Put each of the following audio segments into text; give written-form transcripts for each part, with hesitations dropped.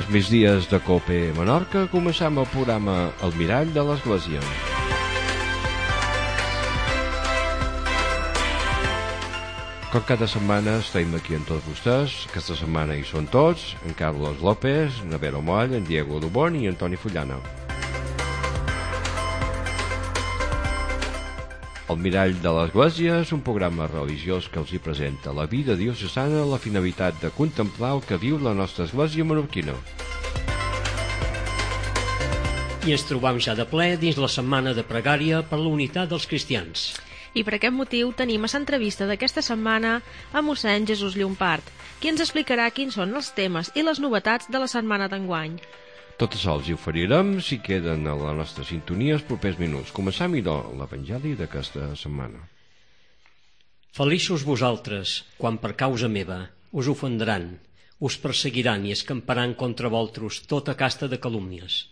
als migdies de COPE Menorca començam el programa El Mirall de l'Església. Com cada setmana estem aquí amb tots vostès. Aquesta setmana hi són tots, en Carlos López, en Vero Moll, en Diego Dubón i en Toni Fullana. El Mirall de l'Església és un programa religiós que els hi presenta la vida diocesana amb la finalitat de contemplar el que viu la nostra església menorquina. I ens trobam ja de ple dins la setmana de pregària per la unitat dels cristians. I per aquest motiu tenim a l'entrevista d'aquesta setmana a mossèn Jesús Llompart, qui ens explicarà quins són els temes i les novetats de la setmana d'enguany. Tot això els hi oferirem si queden a la nostra sintonia els propers minuts. Començam, idò, l'Evangeli d'aquesta setmana. Feliços vosaltres, quan per causa meva us ofendran, us perseguiran i escamparan contra vosaltres tota casta de calúmnies.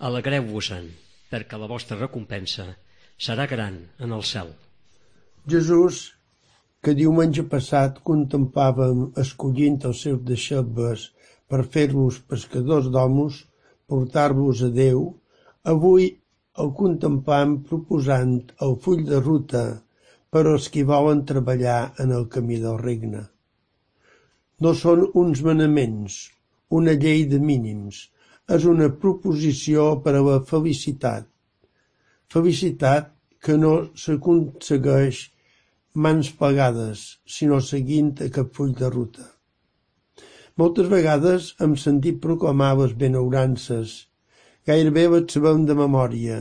Alegreu-vos-en, perquè la vostra recompensa serà gran en el cel. Jesús, que diumenge passat contemplàvem escollint els seus deixebles per fer-los pescadors d'homes, portar-los a Déu, avui el contemplam proposant el full de ruta per als qui volen treballar en el camí del regne. No són uns manaments, una llei de mínims, és una proposició per a la felicitat. Felicitat que no s'aconsegueix mans plegades, sinó seguint aquest full de ruta. Moltes vegades hem sentit proclamar les benaurances, gairebé les sabem de memòria,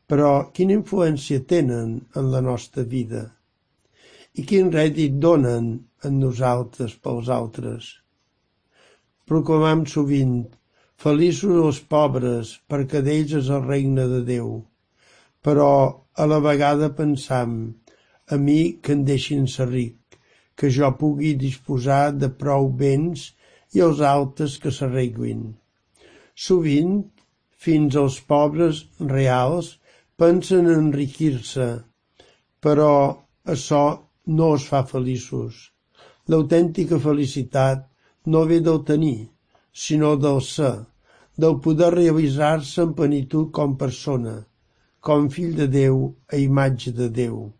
però quina influència tenen en la nostra vida? I quin rèdit donen en nosaltres pels altres? Proclamam sovint, feliços els pobres, perquè d'ells és el regne de Déu, però a la vegada pensam, a mi que em deixin ser ric, que jo pugui disposar de prou béns i els altres que s'arreglin. Sovint, fins als pobres reals pensen en enriquir-se, però això no els fa feliços. L'autèntica felicitat no ve del tenir, sinó del ser, del poder realitzar-se en plenitud com persona, com fill de Déu a imatge de Déu.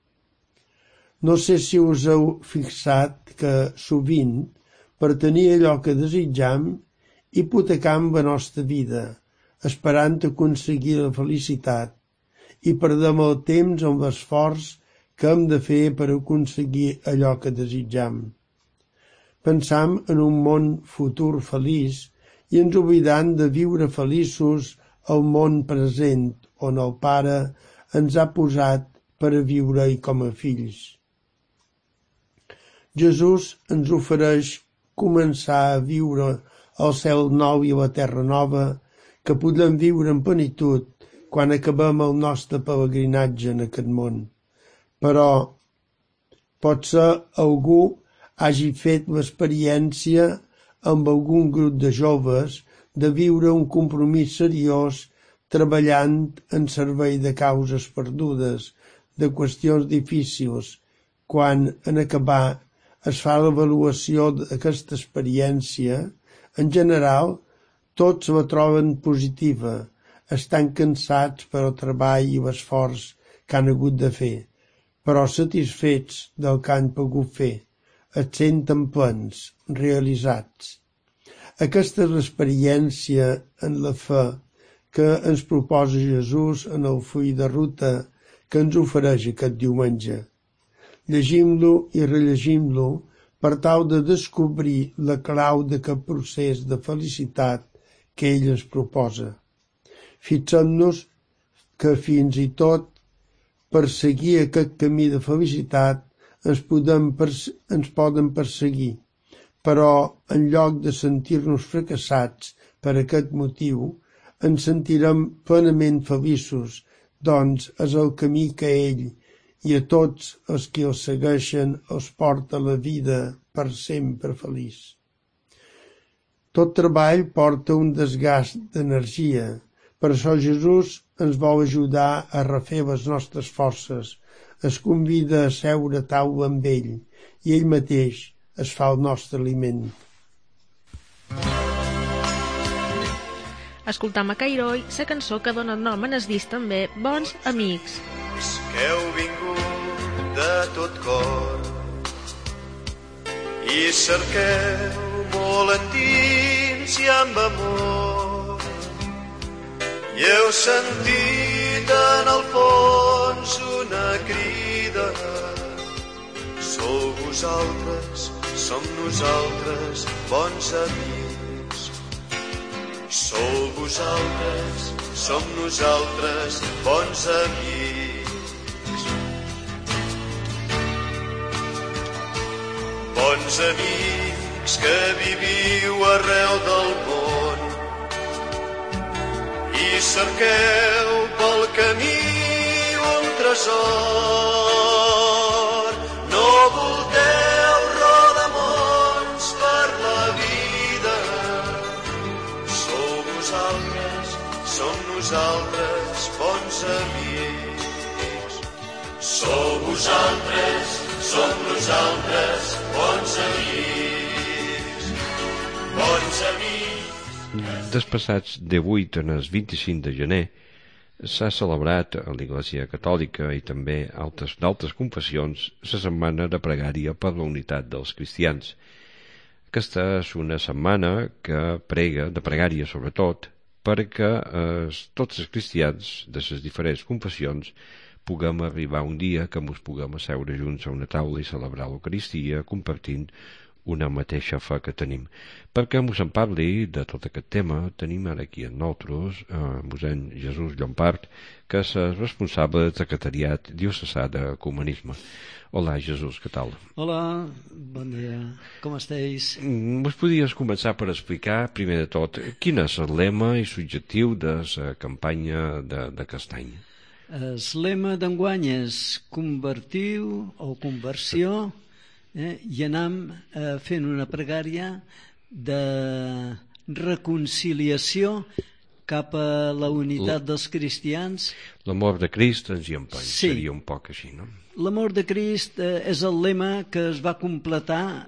No sé si us heu fixat que, sovint, per tenir allò que desitjam, hipotecam la nostra vida, esperant aconseguir la felicitat, i perdem el temps amb l'esforç que hem de fer per aconseguir allò que desitjam. Pensam en un món futur feliç i ens oblidam de viure feliços al món present, on el Pare ens ha posat per a viure-hi com a fills. Jesús ens ofereix començar a viure el cel nou i la terra nova que podem viure en plenitud quan acabem el nostre pelegrinatge en aquest món. Però potser algú hagi fet l'experiència amb algun grup de joves de viure un compromís seriós treballant en servei de causes perdudes, de qüestions difícils, quan en acabar es fa l'avaluació d'aquesta experiència, en general, tots la troben positiva, estan cansats per el treball i l'esforç que han hagut de fer, però satisfets del que han pogut fer, es senten plens, realitzats. Aquesta és l'experiència en la fe que ens proposa Jesús en el full de ruta que ens ofereix aquest diumenge. Llegim-lo i rellegim-lo per tal de descobrir la clau d'aquest procés de felicitat que ell ens proposa. Fixem-nos que fins i tot per seguir aquest camí de felicitat ens poden perseguir, però en lloc de sentir-nos fracassats per aquest motiu, ens sentirem plenament feliços, doncs és el camí que ell i a tots els que els segueixen els porta la vida per sempre feliç. Tot treball porta un desgast d'energia, per això Jesús ens vol ajudar a refer les nostres forces, es convida a seure a taula amb ell i ell mateix es fa el nostre aliment. Escoltam a Cairoi la cançó que dona nom en el disc també, Bons Amics. Que heu vingut de tot cor i cerqueu molt endins i amb amor i heu sentit en el fons una crida. Sou vosaltres, som nosaltres, bons amics. Sou vosaltres, som nosaltres, bons amics. Bons amics que viviu arreu del món i cerqueu pel camí un tresor. No volteu rodamons per la vida. Sou vosaltres, som nosaltres, bons amics. Sou vosaltres, som nosaltres, bons amics. Bons amics. Despassats 18 en el 25 de gener s'ha celebrat a l'Església Catòlica i també d'altres confessions la setmana de pregària per la unitat dels cristians. Aquesta és una setmana que prega, de pregària sobretot, perquè tots els cristians de les diferents confessions puguem arribar un dia que ens puguem asseure junts a una taula i celebrar l'Eucaristia compartint una mateixa fe que tenim. Perquè ens en parli de tot aquest tema, tenim ara aquí amb nosaltres mossèn Jesús Llompart, que és el responsable del secretariat diocesà d'ecumenisme. Hola, Jesús, què tal? Hola, bon dia, com esteu? Ens podries començar per explicar, primer de tot, quin és el lema i l'objectiu de la campanya d'aquest any? El lema d'enguany és convertiu o conversió, i anem fent una pregària de reconciliació cap a la unitat dels cristians. L'amor de Crist ens hi empeny, sí. Seria un poc així, no? L'amor de Crist és el lema que es va completar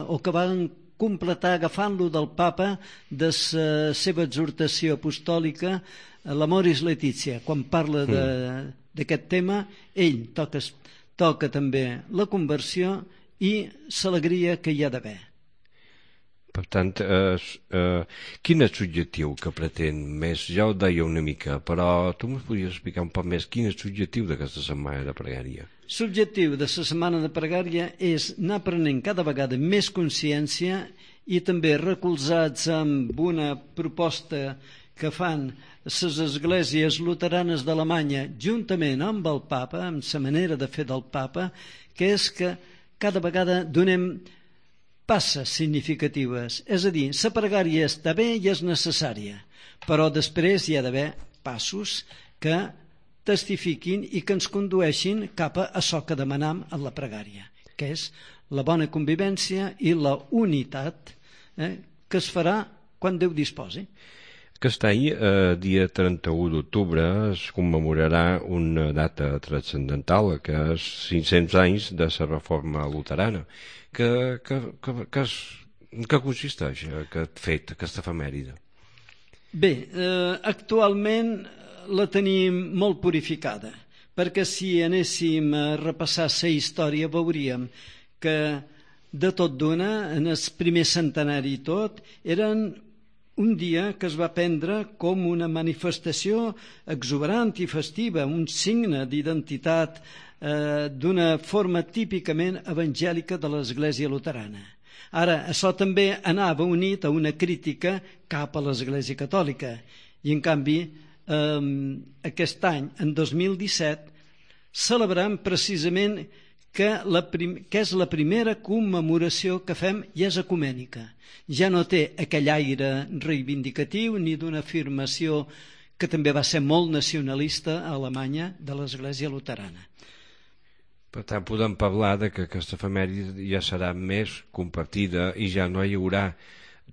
o que van completar agafant-lo del papa de la seva exhortació apostòlica, l'Amoris Laetitia. Quan parla d'aquest tema, ell toca també la conversió i l'alegria que hi ha d'haver. Per tant, quin és l'objectiu que pretén més? Ja ho deia una mica, però tu m'ho podries explicar un poc més quin és l'objectiu d'aquesta setmana de pregària? L'objectiu de la setmana de pregària és anar prenent cada vegada més consciència i també recolzats amb una proposta que fan les esglésies luteranes d'Alemanya juntament amb el papa, amb la manera de fer del papa, que és que cada vegada donem passes significatives. És a dir, la pregària està bé i és necessària, però després hi ha d'haver passos que testifiquin i que ens condueixin cap a això que demanam en la pregària, que és la bona convivència i la unitat que es farà quan Déu disposi. Aquest any, dia 31 d'octubre, es commemorarà una data transcendental, que és 500 anys de la reforma luterana. Que consisteix aquest fet, aquesta efemèride? Bé, actualment la tenim molt purificada, perquè si anéssim a repassar la història veuríem que de tot d'una, en el primer centenari i tot, eren un dia que es va prendre com una manifestació exuberant i festiva, un signe d'identitat d'una forma típicament evangèlica de l'Església luterana. Ara, això també anava unit a una crítica cap a l'Església catòlica i, en canvi, aquest any, en 2017, celebrem precisament que és la primera commemoració que fem i és ecumènica. Ja no té aquell aire reivindicatiu ni d'una afirmació que també va ser molt nacionalista a Alemanya de l'Església luterana. Per tant, podem parlar que aquesta efemèride ja serà més compartida i ja no hi haurà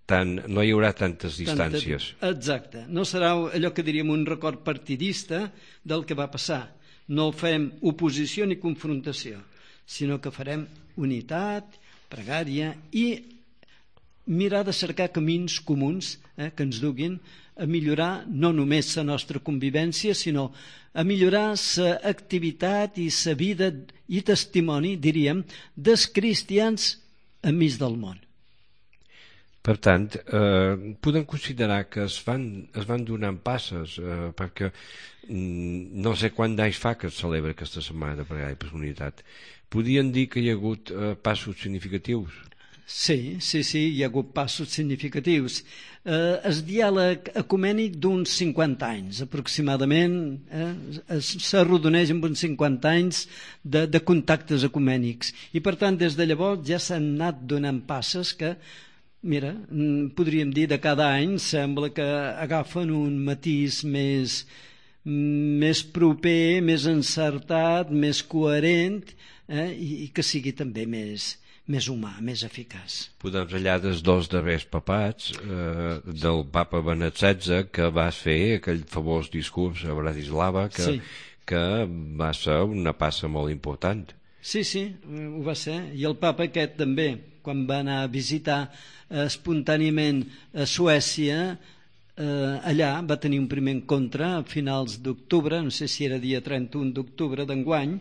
tantes distàncies. Exacte. No serà allò que diríem un record partidista del que va passar. No fem oposició ni confrontació, sinó que farem unitat, pregària i mirar de cercar camins comuns que ens duguin a millorar no només la nostra convivència, sinó a millorar la activitat i la vida i testimoni, diríem, dels cristians enmig del món. Per tant, podem considerar que es van donant passes, perquè no sé quant d'anys fa que es celebra aquesta setmana de pregària per la unitat. Podien dir que hi ha hagut passos significatius? Sí, hi ha hagut passos significatius. El diàleg ecumènic d'uns 50 anys, aproximadament, s'arrodoneix amb uns 50 anys de contactes ecumènics. I, per tant, des de llavors ja s'han anat donant passes que, mira, podríem dir de cada any sembla que agafen un matís més proper, més encertat, més coherent, i que sigui també més humà, més eficaç. Podem parlar dels dos darrers papats, del papa Benet XVI, que va fer aquell famós discurs a Bratislava, que va ser una passa molt important. Sí, ho va ser. I el papa aquest també, quan va anar a visitar espontàniament a Suècia, allà va tenir un primer encontre a finals d'octubre, no sé si era dia 31 d'octubre d'enguany,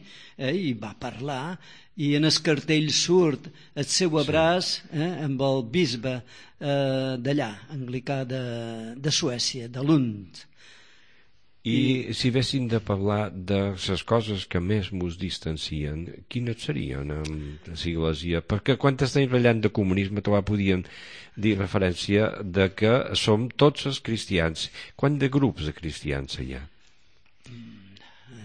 i va parlar, i en el cartell surt el seu abraç amb el bisbe d'allà, anglicà de Suècia, de Lund. I si haguéssim de parlar de les coses que més mos distancien, quines serien amb l'Església? Perquè quan estem parlant de comunisme podien dir referència de que som tots els cristians. Quant de grups de cristians hi ha?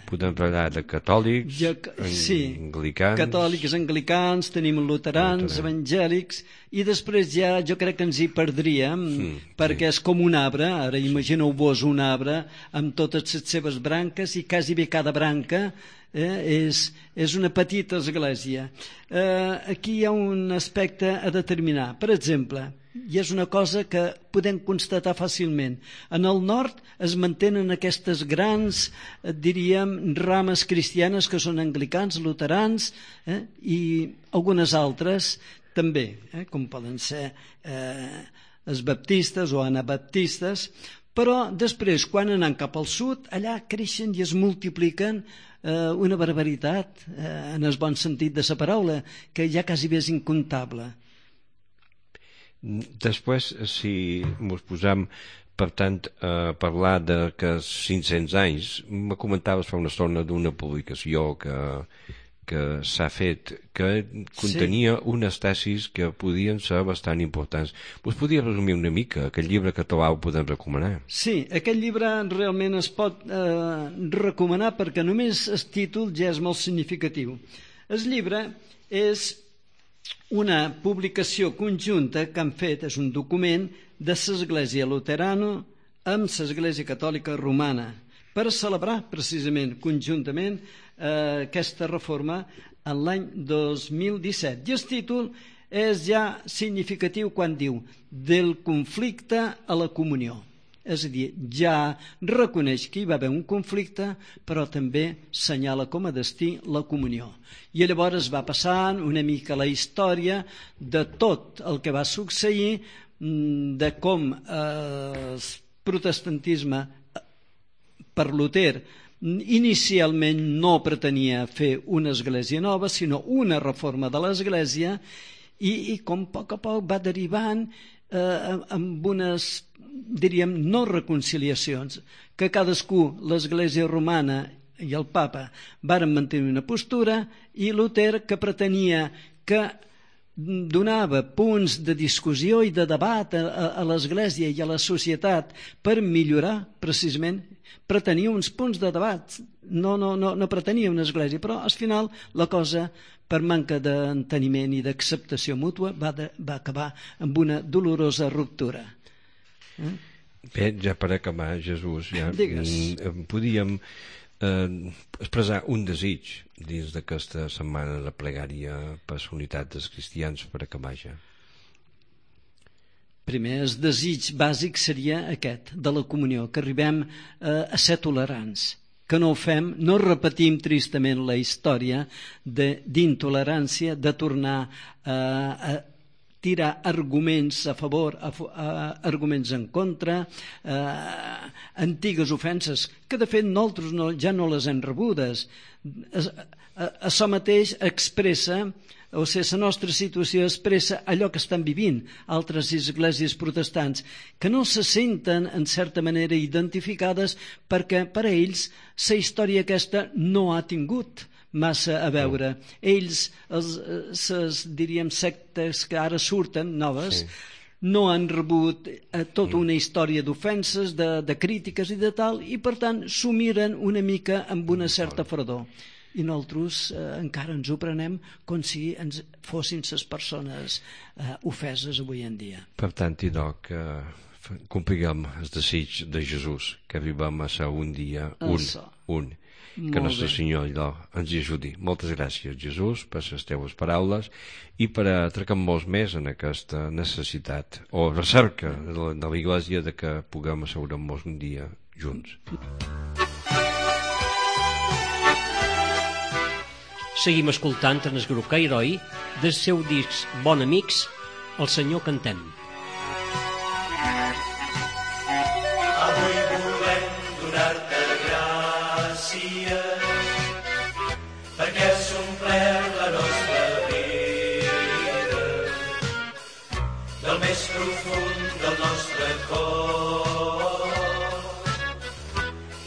Podem parlar de catòlics, anglicans... Catòlics, anglicans, tenim luterans, evangèlics, i després ja jo crec que ens hi perdríem, perquè és com un arbre, ara imagineu-vos un arbre amb totes les seves branques, i quasi bé cada branca és una petita església. Aquí hi ha un aspecte a determinar. Per exemple, i és una cosa que podem constatar fàcilment. En el nord es mantenen aquestes grans, diríem, rames cristianes que són anglicans, luterans, i algunes altres també, com poden ser els baptistes o anabaptistes, però després, quan anem cap al sud, allà creixen i es multipliquen una barbaritat, en el bon sentit de la paraula, que ja quasi bé és incontable. Després, si ens posam, per tant, a parlar de que 500 anys, me comentaves fa una estona d'una publicació que s'ha fet, que contenia unes tesis que podien ser bastant importants. Us podia resumir una mica aquest llibre que ho podem recomanar? Sí, aquest llibre realment es pot recomanar perquè només el títol ja és molt significatiu. El llibre és una publicació conjunta que han fet, és un document de l'Església Luterana amb l'Església Catòlica Romana per celebrar precisament conjuntament aquesta reforma en l'any 2017. I el títol és ja significatiu quan diu del conflicte a la comunió. És a dir, ja reconeix que hi va haver un conflicte, però també senyala com a destí la comunió. I llavors va passant una mica la història de tot el que va succeir, de com el protestantisme per Luter inicialment no pretenia fer una església nova, sinó una reforma de l'església, i com a poc va derivant amb unes, diríem, no reconciliacions, que cadascú, l'Església Romana i el Papa, varen mantenir una postura, i Luter, que pretenia que donava punts de discussió i de debat a l'Església i a la societat per millorar, precisament, pretenia uns punts de debat, no pretenia una església, però al final la cosa, per manca d'enteniment i d'acceptació mútua, va acabar amb una dolorosa ruptura. Bé, ja per acabar, Jesús, ja podíem expressar un desig dins d'aquesta setmana de pregària per la unitat dels cristians per acabar ja. Primer, el desig bàsic seria aquest, de la comunió, que arribem a ser tolerants, que no ho fem, no repetim tristament la història d'intolerància, de tornar a tirar arguments a favor, arguments en contra, antigues ofenses, que de fet nosaltres ja no les hem rebudes. Això mateix expressa, o sigui, la nostra situació expressa allò que estan vivint altres esglésies protestants, que no se senten en certa manera identificades perquè per a ells la història aquesta no ha tingut massa a veure. Ells, diríem, sectes que ara surten noves, no han rebut tota una història d'ofenses, de crítiques i de tal, i per tant s'ho miren una mica amb una certa fredor. I nosaltres encara ens ho prenem com si ens fossin les persones ofeses avui en dia. Per tant, idò, que compliguem el desig de Jesús, que vivim a ser un dia un. Que Nostre Senyor ens hi ajudi. Moltes gràcies, Jesús, per les teves paraules i per atracar-nos més en aquesta necessitat o recerca de la Iglésia de que puguem asseure'ns un dia junts. Seguim escoltant en el grup Cairoi del seu disc Bon Amics, El Senyor Cantem. Avui volem donar-te gràcies perquè has omplert la nostra vida del més profund del nostre cor.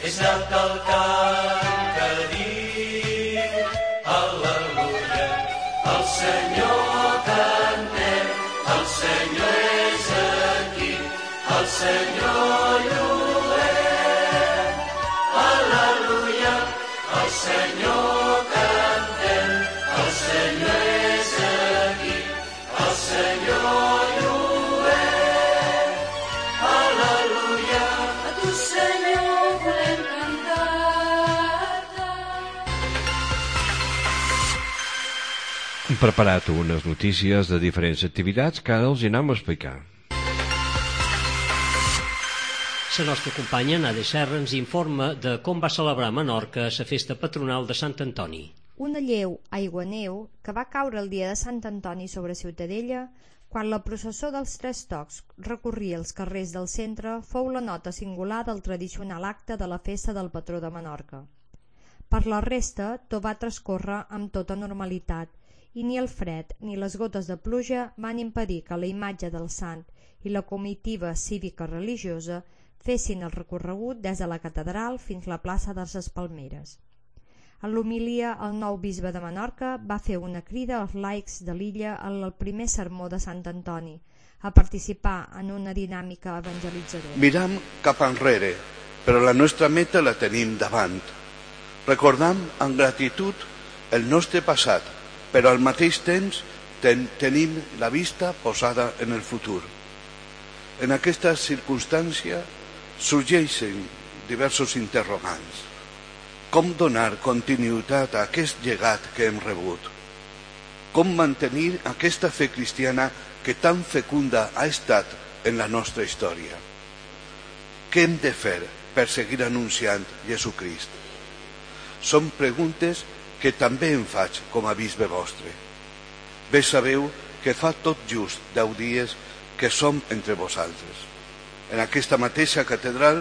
És anat el cant que diu al·leluia, el Senyor cantem, el Senyor és aquí, el Senyor lluem, al·leluia, el Senyor cantem, el Senyor és aquí, el Senyor lluem, al·leluia, a tu Senyor volem cantar-te. Hem preparat unes notícies de diferents activitats que ara els anem a explicar. La nostra companya Nadia Serra ens informa de com va celebrar a Menorca la festa patronal de Sant Antoni. Una lleu aigua-neu que va caure el dia de Sant Antoni sobre Ciutadella, quan la processó dels Tres Tocs recorria els carrers del centre, fou la nota singular del tradicional acte de la festa del patró de Menorca. Per la resta, tot va transcórrer amb tota normalitat, i ni el fred ni les gotes de pluja van impedir que la imatge del sant i la comitiva cívica religiosa fessin el recorregut des de la catedral fins a la plaça de les Palmeres. En l'homilia, el nou bisbe de Menorca va fer una crida als laics de l'illa en el primer sermó de Sant Antoni, a participar en una dinàmica evangelitzadora. Miram cap enrere, però la nostra meta la tenim davant. Recordam amb gratitud el nostre passat, però al mateix temps tenim la vista posada en el futur. En aquesta circumstància sorgeixen diversos interrogants. Com donar continuïtat a aquest llegat que hem rebut? Com mantenir aquesta fe cristiana que tan fecunda ha estat en la nostra història? Què hem de fer per seguir anunciant Jesucrist? Són preguntes que també em faig com a bisbe vostre. Bé sabeu que fa tot just 10 dies que som entre vosaltres. En aquesta mateixa catedral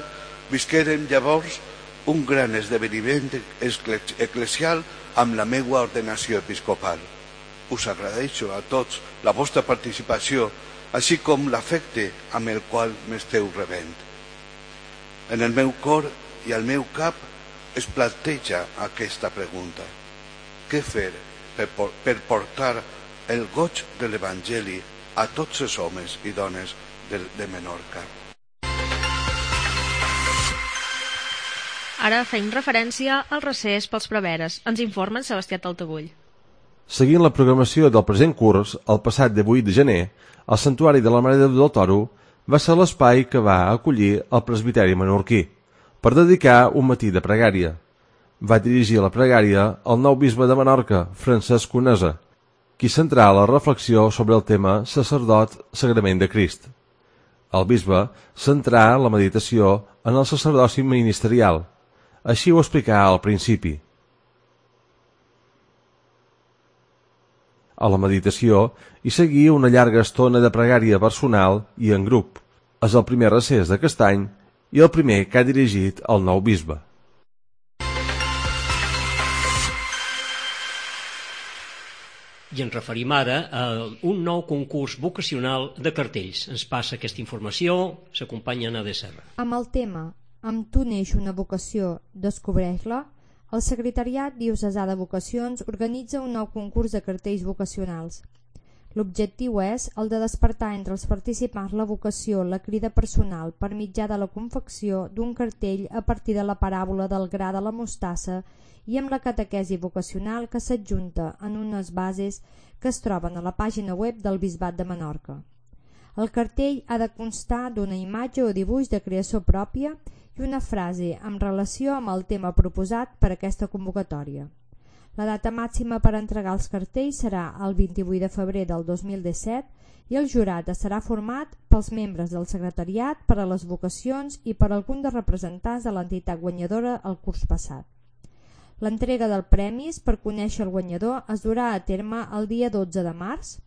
visquérem llavors un gran esdeveniment eclesial amb la meua ordenació episcopal. Us agraeixo a tots la vostra participació, així com l'afecte amb el qual m'esteu rebent. En el meu cor i al meu cap es planteja aquesta pregunta. Què fer per portar el goig de l'Evangeli a tots els homes i dones de Menorca? Ara fem referència al recés pels preveres. Ens informa en Sebastià Taltabull. Seguint la programació del present curs, el passat 18 de gener, el Santuari de la Mare de Déu del Toro va ser l'espai que va acollir el presbiteri menorquí per dedicar un matí de pregària. Va dirigir la pregària el nou bisbe de Menorca, Francesc Conesa, qui centrà la reflexió sobre el tema sacerdot sagrament de Crist. El bisbe centrà la meditació en el sacerdoci ministerial. Així ho explicà al principi. a la meditació i seguir una llarga estona de pregària personal i en grup. És el primer recés d'aquest any i el primer que ha dirigit el nou bisbe. I ens referim ara a un nou concurs vocacional de cartells. Ens passa aquesta informació, s'acompanya Ana de Serra. Amb el tema "Amb tu neix una vocació, descobreix-la", el Secretariat Diocesà de Vocacions organitza un nou concurs de cartells vocacionals. L'objectiu és el de despertar entre els participants la vocació, la crida personal, per mitjà de la confecció d'un cartell a partir de la paràbola del gra de la mostassa i amb la catequesi vocacional que s'adjunta en unes bases que es troben a la pàgina web del Bisbat de Menorca. El cartell ha de constar d'una imatge o dibuix de creació pròpia i una frase en relació amb el tema proposat per aquesta convocatòria. La data màxima per entregar els cartells serà el 28 de febrer del 2017 i el jurat estarà format pels membres del secretariat, per a les vocacions i per algun dels representants de l'entitat guanyadora el curs passat. L'entrega dels premis per conèixer el guanyador es durà a terme el dia 12 de març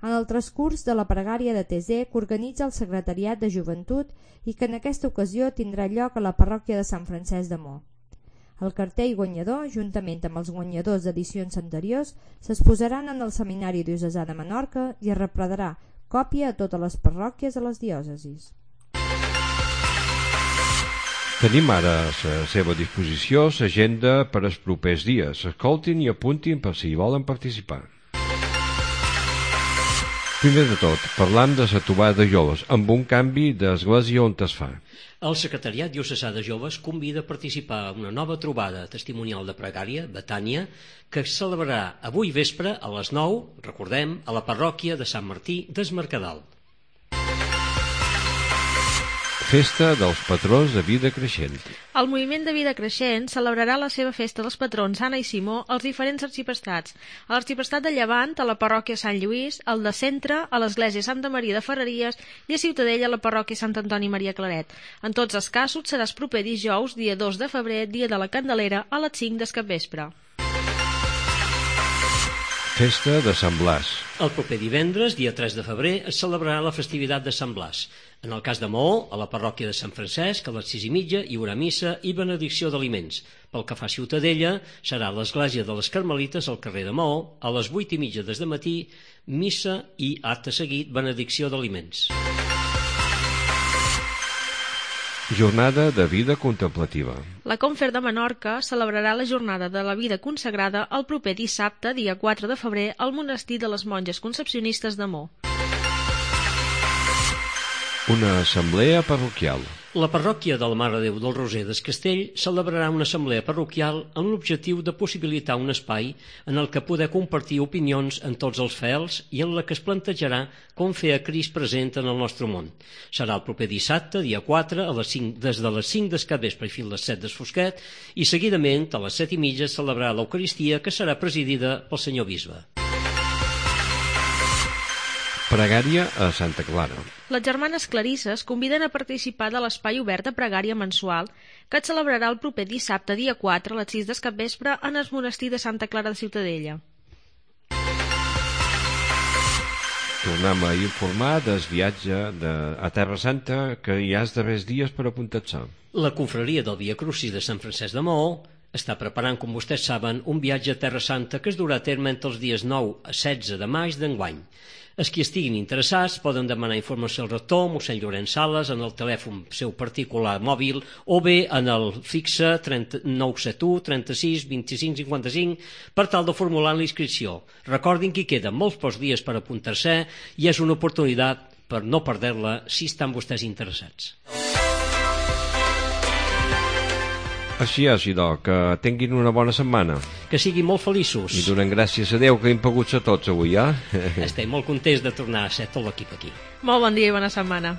en el transcurs de la pregària de Tesè que organitza el Secretariat de Joventut i que en aquesta ocasió tindrà lloc a la parròquia de Sant Francesc de Mo. El cartell guanyador, juntament amb els guanyadors d'edicions anteriors, s'exposaran en el Seminari Diocesà de Menorca i es reprendrà còpia a totes les parròquies de les diòcesis. Tenim ara a la seva disposició l'agenda per als propers dies. Escoltin i apuntin per si hi volen participar. Primer de tot, parlam de la trobada de joves, amb un canvi d'església on es fa. El Secretariat Diocesà de Joves convida a participar en una nova trobada testimonial de pregària, Betània, que es celebrarà avui vespre a les 9, recordem, a la parròquia de Sant Martí d'Es Mercadal. Festa dels patrons de vida creixent. El moviment de vida creixent celebrarà la seva festa dels patrons Anna i Simó als diferents arxiprestats. A l'arxiprestat de Llevant, a la parròquia Sant Lluís, al de Centre, a l'església Santa Maria de Ferreries i a Ciutadella, a la parròquia Sant Antoni Maria Claret. En tots els casos serà el proper dijous, dia 2 de febrer, dia de la Candelera, a les 5 del capvespre. Festa de Sant Blas. El proper divendres, dia 3 de febrer, es celebrarà la festivitat de Sant Blas. En el cas de Maó, a la parròquia de Sant Francesc, a les 6:30 hi haurà missa i benedicció d'aliments. Pel que fa a Ciutadella, serà a l'església de les Carmelites al carrer de Maó, a les 8:30 des de matí, missa i, acte seguit, benedicció d'aliments. Jornada de vida contemplativa. La Confer de Menorca celebrarà la jornada de la vida consagrada el proper dissabte, dia 4 de febrer, al monestir de les monges concepcionistes de Mo. Una assemblea parroquial. La parròquia de la Mare de Déu del Roser d'Es Castell celebrarà una assemblea parroquial amb l'objectiu de possibilitar un espai en el que poder compartir opinions en tots els fidels i en la que es plantejarà com fer a Crist present en el nostre món. Serà el proper dissabte, dia 4, a les 5, des de les 5 del capvespre i fins a les 7 del fosquet, i seguidament a les 7:30 celebrarà l'Eucaristia, que serà presidida pel senyor bisbe. Pregària a Santa Clara. Les germanes clarisses conviden a participar de l'espai obert de pregària mensual que es celebrarà el proper dissabte, dia 4, a les 6 del capvespre en el monestir de Santa Clara de Ciutadella. Tornem a informar del viatge a Terra Santa que hi ha els darrers dies per apuntar-se. La confraria del Via Crucis de Sant Francesc de Maó està preparant, com vostès saben, un viatge a Terra Santa que es durà a terme entre els dies 9 a 16 de maig d'enguany. Els qui estiguin interessats poden demanar informació al rector mossèn Llorenç Sales en el telèfon seu particular mòbil o bé en el fixe 971 36 25 55 per tal de formular la inscripció. Recordin que hi queden molts pocs dies per apuntar-se i és una oportunitat per no perdre-la si estan vostès interessats. Així és, idò, que tinguin una bona setmana. Que siguin molt feliços. I donem gràcies a Déu que hem pogut ser tots avui, Estem molt contents de tornar a ser tot l'equip aquí. Molt bon dia i bona setmana.